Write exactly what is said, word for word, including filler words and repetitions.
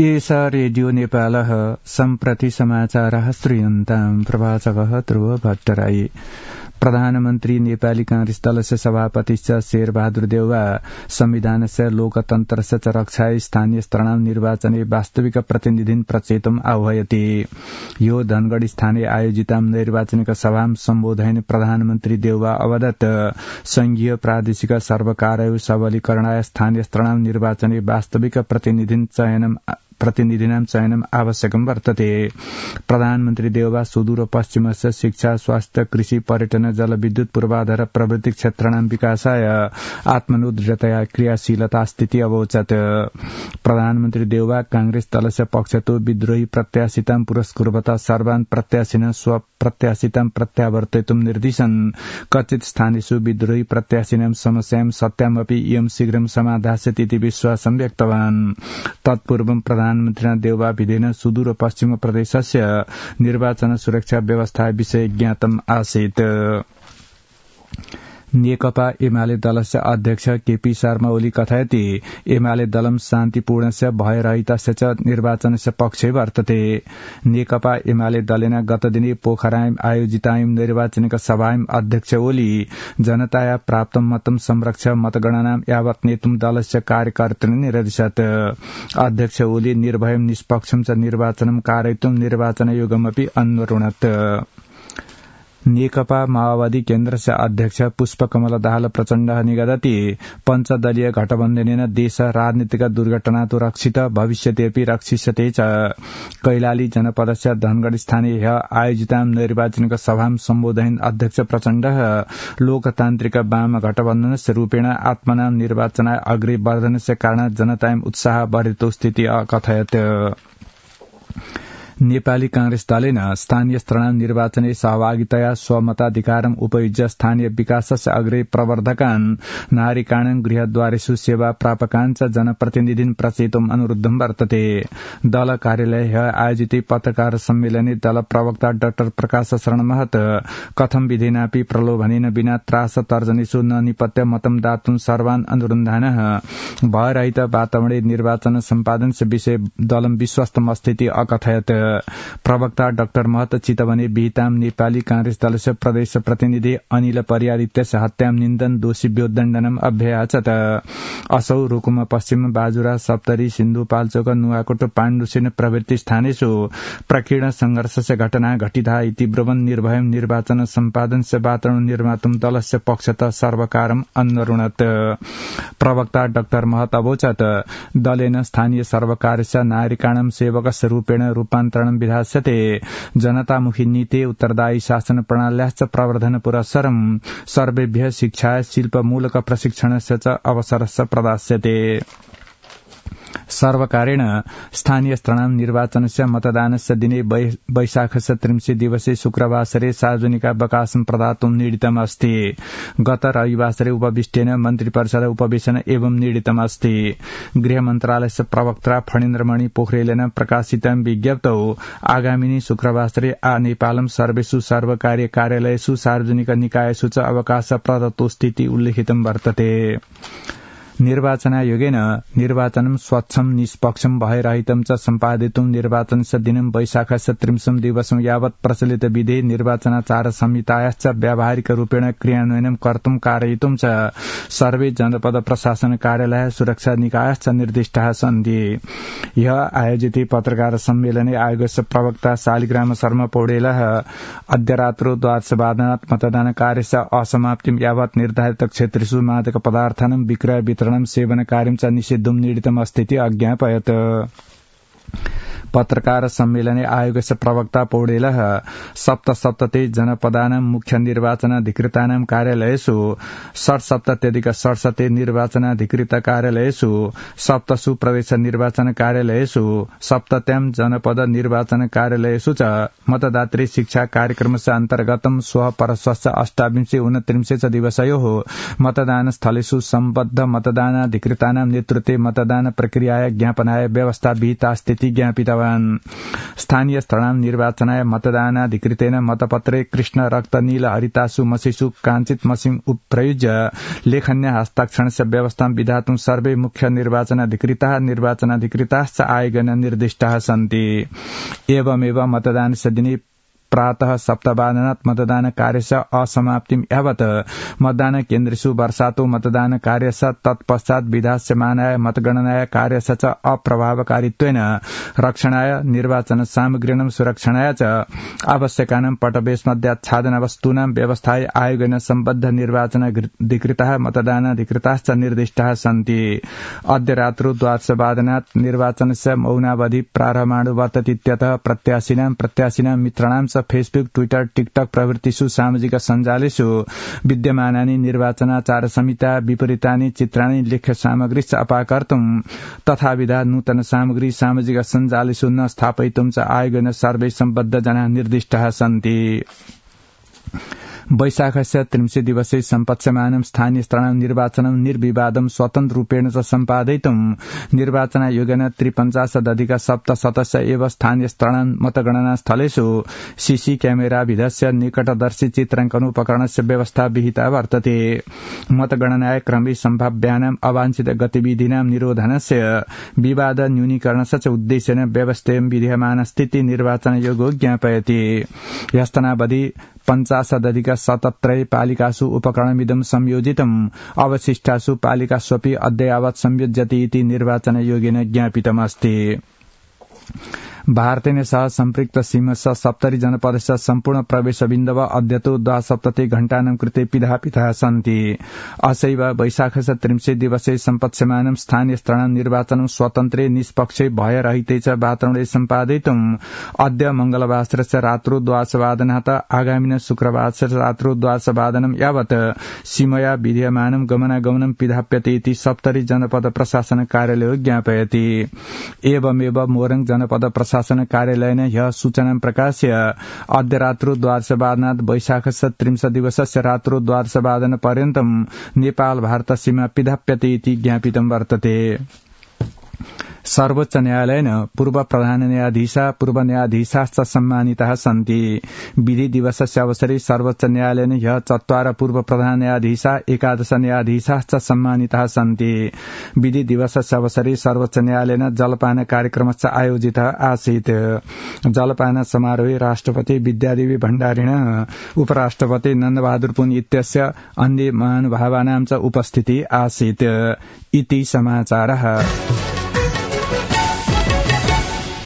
एषा रेडियो नेपालः सम्प्रति समाचारः श्रूयन्ताम् प्रवाचकः ध्रुव भट्टराई। प्रधानमन्त्री नेपाली कांग्रेस दलस्य सभापतिश्च शेरबहादुर देउवा संविधानस्य लोकतन्त्रस्य च रक्षाय स्थानीय स्तराणां निर्वाचने वास्तविक प्रतिनिधिन् प्रचेतुम् आह्वयति। यो धनगढ़ी स्थाने आयोजितां नैर्वाचनिक सभां सम्बोधयन् प्रधानमन्त्री देउवा अवदत् संघीय प्रादेशिक सर्वकारयो सबलीकरणाय स्थानीय स्तराणां निर्वाचने वास्तविक प्रतिनिधिन् चयनम् प्रतिनिधिनां चयनम् आवश्यकं वर्तते। प्रधानमन्त्री देउवा सुदूर पश्चिमस्य शिक्षा स्वास्थ्य कृषि पर्यटन जलविद्युत पूर्वाधार प्रवृत्ति क्षेत्राणां विकासाय आत्मनिर्भरतया क्रियाशीलता स्थिति अवोचत्। प्रधानमन्त्री देउवा कांग्रेस दलस्य पक्षतो विद्रोही प्रत्याशितां पुरस्कुर्वता सर्वान् प्रत्याशिनः स्वप्रत्याशितां प्रत्यावर्तयितुं निर्दिशन्। कथित स्थानेषु विद्रोही प्रत्याशिनां समस्यां सत्यामपि इयं शीघ्रं समाधास्यति इति विश्वासं व्यक्तवान्। तत्पूर्वं प्रधानमन्त्रिणा देउवा विधेन सुदूर पश्चिम प्रदेशस्य निर्वाचन सुरक्षा व्यवस्था विषये ज्ञातम् आसीत्। नेकपा एमाले दलस्य अध्यक्ष केपी शर्मा ओली कथयति एमाले दलं शान्तिपूर्णस्य भयरहितस्य च निर्वाचनस्य पक्षे वर्तते। नेकपा एमाले दलेन गतदिने पोखरायां आयोजितायां निर्वाचनिक सभायां अध्यक्ष ओली जनताया प्राप्तं मतं संरक्ष्य मतगणनां यावत् नेतुं दलस्य कार्यकर्तॄन् निरदिशत्। अध्यक्ष ओली निर्भयं निष्पक्षं च निर्वाचनं कारयितुं निर्वाचनायोगमपि अन्वरुणत्। नेकपा माओवादी केन्द्रस्य अध्यक्ष पुष्पकमल दाहाल प्रचण्डः निगदति पञ्चदलीय गठबन्धनेन देश राजनीतिक दुर्घटनातो रक्षित भविष्यत्यपि रक्षिष्यते च। कैलाली जनपदस्य धनगढ़ स्थाने आयोजितां निर्वाचनिक सभां सम्बोधयन् अध्यक्ष प्रचण्डः लोकतान्त्रिक वाम गठबन्धनस्य रूपेण आत्मनां निर्वाचनाय अग्रे वर्धनस्य कारणात् जनतायां उत्साह बढेतो स्थिति अकथयत्। नेपाली कांग्रेस दलेन स्थानीय स्तराणां निर्वाचने सहभागितया स्वमताधिकारम् उपयुज्य स्थानीय विकासस्य अग्रे प्रवर्धकान् नागरिकाणां गृहद्वारेषु सेवा प्रापकान् च जनप्रतिनिधिन् प्रचेतुम् अनुरुद्धं वर्तते। दल कार्यालये आयोजिते पत्रकार सम्मेलने दल प्रवक्ता डाक्टर प्रकाश शरण महत कथं विधेनापि प्रलोभनेन विना त्रास तर्जनेषु न निपत्य मतं दातुं सर्वान् अनुरुन्धानः भयरहित वातावरणे निर्वाचन सम्पादनस्य विषये दलं विश्वस्तम् अस्ति अकथयत्। प्रवक्ता डाक्टर महत चितवने विहितां नेपाली कांग्रेस दलस्य प्रदेश प्रतिनिधि अनिल परियादित्यस्य हत्यां निन्दन दोषीभ्यो दण्डनम् अभ्याचत। असौ रुकुम पश्चिम बाजुरा सप्तरी सिन्धुपाल्चोक नुवाकोट पाण्डुसेन प्रभृति स्थानेषु प्रकीर्ण संघर्षस्य घटना घटिता इति ब्रुवन् निर्भयं निर्वाचन सम्पादनस्य वातावरण निर्मातुं दलस्य पक्षतः सर्वकारम् अन्वरुणत्। प्रवक्ता डाक्टर महत अवोचत् दलेन स्थानीय सर्वकारस्य नागरिकाणां सेवकस्य रूपेण रूपान्तरणं विधास्यते। जनतामुखी नीते उत्तरदायी शासन प्रणाल्याश्च प्रवर्धन पुरस्सरं सर्वेभ्यः शिक्षाय शिल्पमूलक प्रशिक्षणस्य च अवसरस्य प्रदास्यते। सर्वकारेण स्थानीय स्तराणां निर्वाचनस्य मतदानस्य दिने वैशाखस्य त्रिंशे दिवसे शुक्रवासरे सार्वजनिकावकाशं प्रदातुं नीडितमस्ति। गत रविवासरे उपविष्टेन मन्त्रिपरिषद उपवेशन एवं नीडितमस्ति। गृह मन्त्रालयस्य प्रवक्ता फणीन्द्रमणि पोखरेलेन प्रकाशितं विज्ञप्तौ आगामिनी शुक्रवासरे आ नेपालं सर्वेषु सर्वकारीय कार्यालयेषु सार्वजनिक निकायेषु च अवकाश प्रदत्तो स्थिति उल्लिखितं वर्तते। निर्वाचनायोगेन निर्वाचनं स्वच्छं निष्पक्षं भयरहितं च सम्पादितुं निर्वाचनस्य दिनं वैशाखस्य त्रिंशं दिवसं यावत् प्रचलित विधि निर्वाचनाचार संहितायाश्च व्यावहारिक रूपेण क्रियान्वयनं कर्तुं कारयितुं च सर्वे जनपद प्रशासन कार्यालय सुरक्षा निकायश्च निर्दिष्टाः सन्ति। ह्यः आयोजिते पत्रकार सम्मेलने आयोगस्य प्रवक्ता शालिग्राम शर्मा पौडेलः अद्य रात्रौ द्वादशवादनात् मतदान कार्यस्य असमाप्तिं यावत् निर्धारित क्षेत्रेषु मादक पदार्थानां विक्रय वितरण सेवन कार्यं च निषिद्धुं नीडितमस्तीति अज्ञापयत्। पत्रकार सम्मेलने आयोगस्य प्रवक्ता पौडेलः सप्तसप्तति जनपदानां मुख्य निर्वाचनाधिकृतानां कार्यालयेषु षट्सप्तत्यधिक षट्शते निर्वाचनाधिकृत कार्यालयेषु सप्तसु प्रदेश निर्वाचन कार्यालयेषु सप्तत्यां जनपद निर्वाचन कार्यालयेषु च मतदात्री शिक्षा कार्यक्रमस्य अन्तर्गतं श्वः परश्वस्य अष्टाविंशे ऊनत्रिंशे च दिवसयोः मतदान स्थलेषु सम्बद्ध मतदानाधिकृतानां नेतृत्वे मतदान प्रक्रियाय ज्ञापनाय व्यवस्था विहिता स्थिति ज्ञापितवान्। कृतवान्। स्थानीय स्तराणां निर्वाचनाय मतदानाधिकृतेन मतपत्रे कृष्ण रक्त नील हरितासु मसिषु काञ्चित् मसिं उपप्रयुज्य लेखन्य हस्ताक्षरस्य व्यवस्थां विधातुं सर्वे मुख्य निर्वाचनाधिकृताः निर्वाचनाधिकृताश्च आयोगेन निर्दिष्टाः सन्ति। एवमेव मतदानस्य दिने प्रातः सप्तवादनात् मतदान कार्यस्य असमाप्तिं यावत् मतदान केन्द्रेषु वर्षातो मतदान कार्यस्य तत्पश्चात् विधास्यमानाय मतगणनाय कार्यस्य च अप्रभावकारित्वेन रक्षणाय निर्वाचन सामग्रीणां सुरक्षणाय च आवश्यकानां पटवेशमध्याच्छादनवस्तूनां व्यवस्थाय आयोगेन सम्बद्ध निर्वाचनाधिकृताः मतदानाधिकृताश्च निर्दिष्टाः सन्ति। अद्य रात्रौ द्वादशवादनात् निर्वाचनस्य मौनावधि प्रारम्भाणु वर्ततीत्यतः प्रत्याशिनां प्रत्याशिनां मित्राणां फेसबुक ट्विटर टिकटक प्रभृतिषु सामाजिक सञ्जालेषु विद्यमानानि निर्वाचनाचार संहिता विपरीतानि चित्राणि लेख्य सामग्रीश्च अपाकर्तुं तथाविधा नूतन सामग्री सामाजिक सञ्जालेषु न स्थापयितुं च आयोगेन सर्वे सम्बद्ध जनाः निर्दिष्टाः सन्ति। वैशाखस्य त्रिंशे दिवसे सम्पत्स्यमानं स्थानीय स्तराणां निर्वाचनं निर्विवादं स्वतन्त्ररूपेण च सम्पादयितुं निर्वाचनायोगेन त्रिपञ्चाशदधिक सप्तशतस्य एव स्थानीय स्तराणां मतगणनास्थलेषु सीसी क्यामेराविधस्य निकटदर्शी चित्राङ्कनोपकरणस्य व्यवस्था विहिता वर्तते। मतगणनाय क्रमे सम्भाव्यानाम् अवाञ्छित गतिविधीनां निरोधनस्य विवाद न्यूनीकरणस्य च उद्देश्येन व्यवस्थेयं विधीयमानस्थिति निर्वाचनायोगो ज्ञापयति। ह्यस्तनावधि पञ्चाशदधिक सतत्रय पालिकासु उपकरणमिदं संयोजितम् अवशिष्टासु पालिकास्वपि अद्ययावत् संयोज्यते इति निर्वाचनायोगेन ज्ञापितमस्ति। भारतेन सह सम्पृक्त सीमस्य सप्तरि जनपदस्य सम्पूर्ण प्रवेशबिन्दव अद्यतो द्वासप्तति घण्टानां कृते पिधापिताः सन्ति। असैव वैशाखस्य त्रिंशे दिवसे सम्पत्स्यमानं स्थानीय स्तराणां निर्वाचनं स्वतन्त्रे निष्पक्षे भयरहिते च वातावरणे सम्पादयितुं अद्य मंगलवासरस्य रात्रौ द्वादशवादनात् आगामिन शुक्रवासरस्य रात्रौ द्वादशवादनं यावत् सीमया विधीयमानं गमनागमनं पिधाप्यते इति सप्तरि जनपद प्रशासन कार्यालयो ज्ञापयति। एवमेव मोरङ जनपद प्रशासन शासन कार्यालयेन ह्यः सूचनां प्रकाश्य अद्य रात्रौ द्वादशवादनात् वैशाखस्य त्रिंशदिवसस्य रात्रौ द्वादशवादनपर्यन्तं नेपाल भारत सीमा पिधाप्यते इति ज्ञापितं वर्तते। सर्वोच्च न्यायालयेन पूर्व प्रधान न्यायाधीशा पूर्व न्यायाधीशाश्च सम्मानिताः सन्ति। विधि दिवसस्य अवसरे सर्वोच्च न्यायालयेन ह्यः चत्वार पूर्व प्रधान न्यायाधीशा एकादश न्यायाधीशाश्च सम्मानिताः सन्ति। विधि दिवसस्य अवसरे सर्वोच्च न्यायालयेन जलपान कार्यक्रमश्च आयोजितः आसीत्। जलपान समारोहे राष्ट्रपति विद्यादेवी भण्डारिण उपराष्ट्रपति नन्दबहादुर पुन इत्यस्य अन्य महानुभावानां च उपस्थितिः आसीत् इति समाचारः।